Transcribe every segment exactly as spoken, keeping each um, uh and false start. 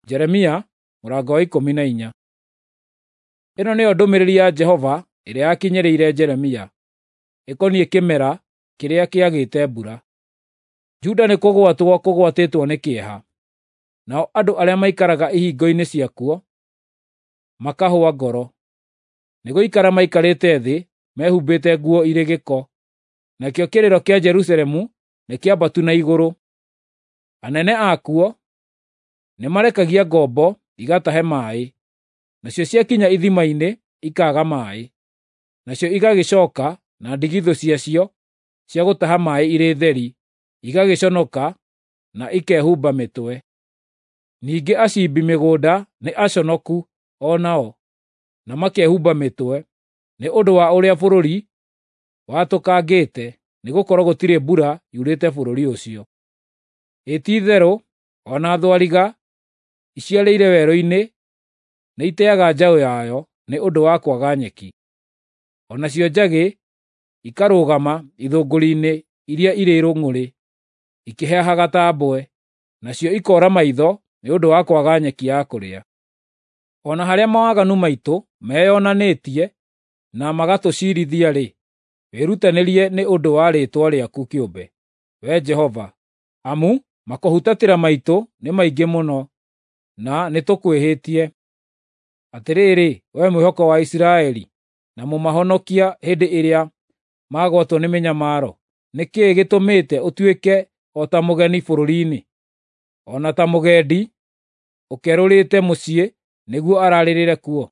Jeremia mũrango wa ikũmi na inya. Ĩno nĩyo ndũmĩrĩri ya Jehova ĩrĩa yakinyĩrĩire Jeremia, ĩkoniĩ kĩmera kĩrĩa kĩagĩte mbura. Juda nĩkũgwatwo kũgwatĩtwo nĩ kĩeha, nao andũ arĩa maikaraga ihingo-inĩ ciakuo makahũa ngoro. Nĩgũikara maikarĩte thĩ mehumbĩte nguo irĩ gĩko, nakĩo kĩrĩro kĩa Jerusalemu nĩkĩambatu na igũrũ. Anene akuo nĩmarekagia ngombo igatahe maaĩ, nacio ciakinya ithima-inĩ ikaaga maaĩ, nacio igagĩcooka na ndigithũ ciacio cia gũtaha maaĩ irĩ theri, igagĩconoka na ikehumba mĩtwe. Ningĩ acimbi mĩgũnda nĩ aconoku o nao, na makehumba mĩtwe, nĩ ũndũ wa ũrĩa bũrũri watũkangĩte, nĩgũkorwo gũtirĩ mbura yurĩte bũrũri ũcio. Ĩ ti-itherũ o na thwariga iciarĩire werũ-inĩ nĩiteaga njaũ yayo nĩ ũndũ wa kwaga nyeki. O nacio njagĩ ikarũgama ithũngũri-inĩ iria irĩ rũng'ũrĩ, ikĩhehaga ta mbwe, nacio ikoora maitho nĩ ũndũ wa kwaga nyeki ya kũrĩa. O na harĩa mawaganu maitũ meyonanĩtie na magatũciirithia-rĩ, wĩrutanĩrie nĩ ũndũ wa rĩĩtwa rĩaku kĩũmbe, Wee Jehova, amu makũhutatĩra maitũ nĩ maingĩ mũno, na nĩtũkwĩhĩtie. Atĩrĩrĩ, wee mwĩhoko wa Isiraeli, na mũmahonokia hĩndĩ ĩrĩa magwatwo nĩ mĩnyamaro, nĩ kĩĩ gĩtũmĩte ũtuĩke o ta mũgeni bũrũri-inĩ, o na ta mũgendi ũkerũrĩte mũciĩ nĩguo ararĩrĩre kuo?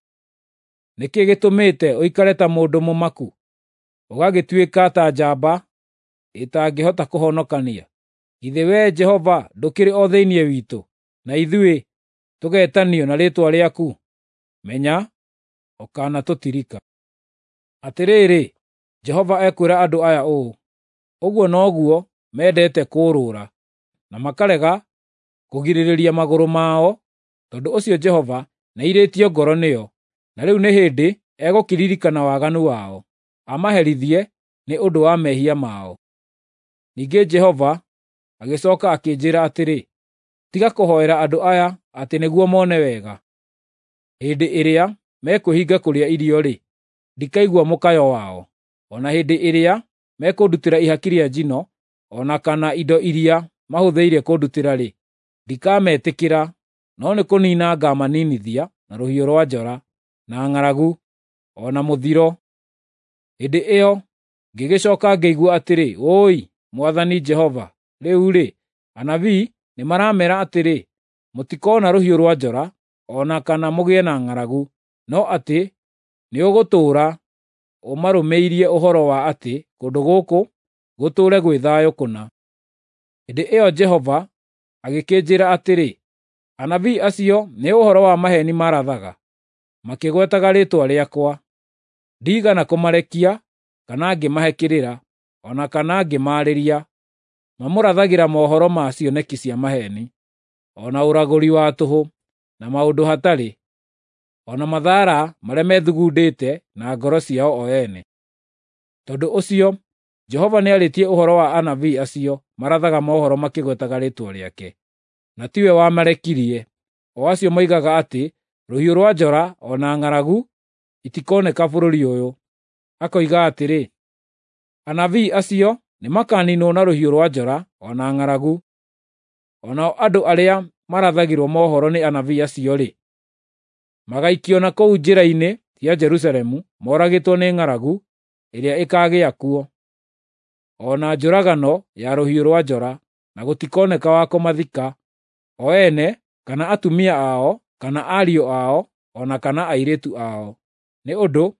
Nĩ kĩĩ gĩtũmĩte ũikare ta mũndũ mũmaku, ũgagĩtuĩka ta njamba ĩtangĩhota kũhonokania? Githĩ Wee Jehova ndũkĩrĩ o thĩinĩ witũ, na ithuĩ tũgeetanio na rĩĩtwa rĩaku? Menya ũkanatũtirika. Atĩrĩrĩ, Jehova ekwĩra andũ aya ũũ: “Ũguo noguo mendete kũũrũra, na makarega kũgirĩrĩria magũrũ mao. Tondũ ũcio Jehova nĩairĩtio ngoro nĩo, na rĩu nĩ hĩndĩ egũkĩririkana waganu wao, amaherithie nĩ ũndũ wa mehia mao.” Ningĩ Jehova agĩcooka akĩnjĩĩra atĩrĩ, “Tiga kũhoera andũ aya atĩ nĩguo mone wega. Hĩndĩ ĩrĩa mekwĩhinga kũrĩa irio-rĩ, ndikaigua mũkayo wao; o na hĩndĩ ĩrĩa mekũndutĩra ihaki rĩa njino, o na kana indo iria mahũthĩire kũndutĩra-rĩ, ndikametĩkĩra, no nĩ kũniina ngaamaniinithia na rũhiũ rwa njora, na ng'aragu, o na mũthiro.” Hĩndĩ ĩyo ngĩgĩcooka ngĩigua atĩrĩ, “Wũi, Mwathani Jehova! Rĩu-rĩ, anabii nĩmarameera atĩrĩ, ‘Mũtikoona rũhiũ rwa njora, o na kana mũgĩe na ng'aragu, no atĩ nĩũgũtũũra ũmarũmĩirie ũhoro wa atĩ kũndũ gũkũ gũtũũre gwĩ thayũ kũna.’ ” Hĩndĩ ĩyo Jehova agĩkĩnjĩĩra atĩrĩ, “Anabii acio nĩ ũhoro wa maheeni marathaga, makĩgwetaga rĩĩtwa rĩakwa. Ndiigana kũmarekia, kana ngĩmahe kĩrĩra, o na kana ngĩmaarĩria. Mamũrathagĩra mohoro ma cioneki cia maheeni, o na ũragũri wa tũhũ, na maũndũ hatarĩ, o na mathaara marĩa methugundĩte na ngoro ciao o ene. Tondũ ũcio Jehova nĩarĩtie ũhoro wa anabii acio marathaga mohoro makĩgwetaga rĩĩtwa rĩake, na tiwe wamarekirie, o acio moigaga atĩ rũhiũ rwa njora o na ng'aragu itikoneka bũrũri ũyũ. Akoiga atĩrĩ, anabii acio nĩmakaniinwo na rũhiũ rwa njora o na ng'aragu. O nao andũ arĩa marathagĩrwo mohoro nĩ anabii acio-rĩ, magaikio na kũu njĩra-inĩ cia Jerusalemu moragĩtwo nĩ ng'aragu ĩrĩa ĩkaagĩa kuo, o na njũragano ya rũhiũ rwa njora, na gũtikoneka wa kũmathika, o ene, kana atumia ao, kana ariũ ao, o na kana airĩtu ao. Nĩ ũndũ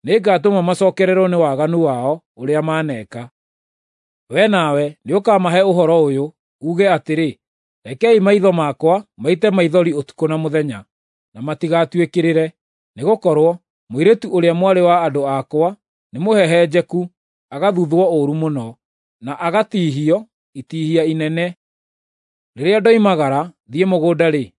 nĩngatũma macookererwo nĩ waganu wao ũrĩa maneeka. Wee nawe nĩũkamahe ũhoro ũyũ, uuge atĩrĩ, ‘Rekei maitho makwa maite maithori ũtukũ na mũthenya, na matigatuĩkĩrĩre, nĩgũkorwo mũirĩtu ũrĩa mwarĩ wa andũ akwa nĩmũhehenjeku, agathuthwo ũũru mũno, na agatihio itihia inene. Rĩrĩa ndoimagara thiĩ mũgũnda-rĩ,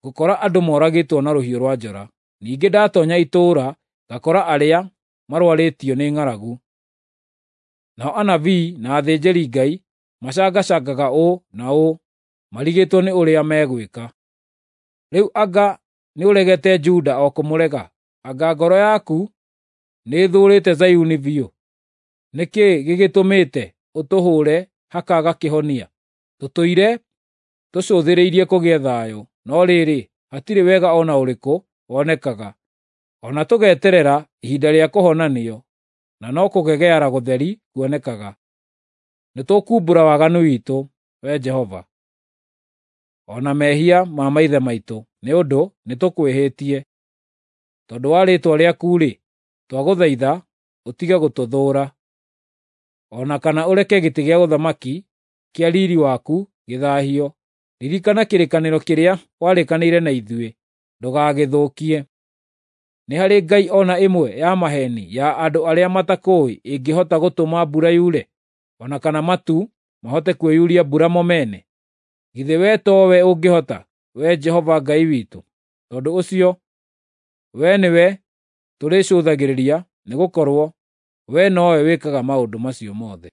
ngũkora andũ moragĩtwo na rũhiũ rwa njora. Ningĩ ndatoonya itũũra ngakora arĩa marũarĩtio nĩ ng'aragu. Nao anabii na athĩnjĩri-Ngai macangacangaga ũũ na ũũ marigĩtwo nĩ ũrĩa megwĩka. Rĩu anga nĩũregete Juda o kũmũrega? Anga ngoro yaku nĩĩthũũrĩte Zayuni biũ? Nĩ kĩĩ gĩgĩtũmĩte ũtũhũũre hakaaga kĩhonia? Tũtũire tũcũthĩrĩirie kũgĩe thayũ, no rĩrĩ, hatirĩ wega o na ũrĩkũ wonekaga. O na tũgeterera ihinda rĩa kũhonanio, na no kũgegeara gũtheri kuonekaga. Nĩtũkuumbũra waganu witũ, Wee Jehova, o na mehia ma maithe maitũ, nĩ ũndũ nĩtũkwĩhĩtie. Tondũ wa rĩĩtwa rĩaku-rĩ, twagũthaitha ũtige gũtũthũũra, o na kana ũreke gĩtĩ gĩa ũthamaki kĩa riiri waku gĩthaahio. Ririkana kĩrĩkanĩro kĩrĩa warĩkanĩire na ithuĩ, ndũgagĩthũkie. Nĩ harĩ ngai o na ĩmwe ya maheeni ya andũ arĩa matakũũĩ ĩngĩhota gũtũma mbura yure, o na kana matu mahote kwĩyuria mbura mo mene? Githĩ wee towe ũngĩhota, Wee Jehova Ngai witũ? Tondũ ũcio, wee nĩwe tũrĩcũthagĩrĩria, nĩgũkorwo wee nowe wĩkaga maũndũ macio mothe.